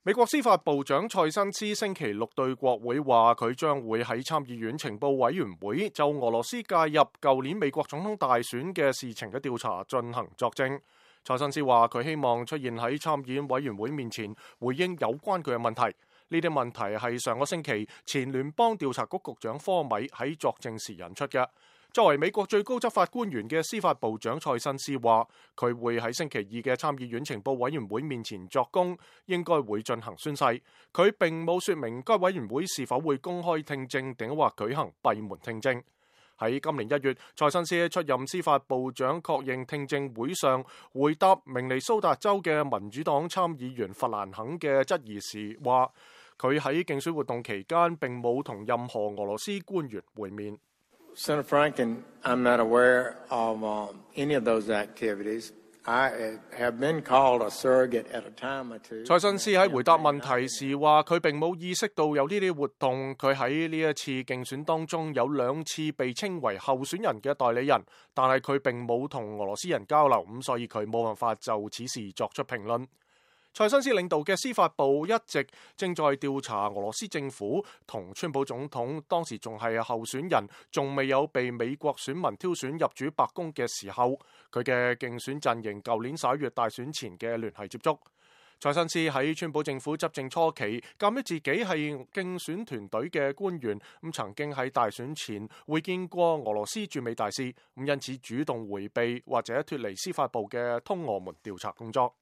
美國司法部長塞申斯星期六對國會話，佢將會喺參議院情報委員會就俄羅斯介入舊年美國總統大選嘅事情嘅調查進行作證。塞申斯話，佢希望出現喺參議院委員會面前回應有關佢嘅問題。呢啲問題係上個星期前聯邦調查局局長科米喺作證時引出嘅。作為美國最高執法官員嘅司法部長塞申斯話，佢會喺星期二嘅參議院情報委員會面前作供，應該會進行宣誓。佢並冇說明該委員會是否會公開聽證，定或舉行閉門聽證。喺今年1月，塞申斯出任司法部長確認聽證會上回答明尼蘇達州嘅民主黨參議員弗蘭肯嘅質疑時話，佢喺競選活動期間並冇同任何俄羅斯官員會面。Senator Franken, I'm not aware of any of those activities. I have been called a surrogate at a time or two. 塞申斯喺回答問題時話，佢並冇意識到有呢啲活動。佢喺呢一次競選當中有2次被稱為候選人嘅代理人，但係佢並冇同俄羅斯人交流，咁所以佢冇辦法就此事作出評論。塞申斯領導嘅司法部一直正在調查俄羅斯政府同川普總統當時仲係候選人，仲未有被美國選民挑選入主白宮嘅時候，佢嘅競選陣營舊年11月大選前嘅聯繫接觸。塞申斯喺川普政府執政初期，鑑於自己係競選團隊嘅官員，咁曾經喺大選前會見過俄羅斯駐美大使，咁因此主動迴避或者脫離司法部嘅通俄門調查工作。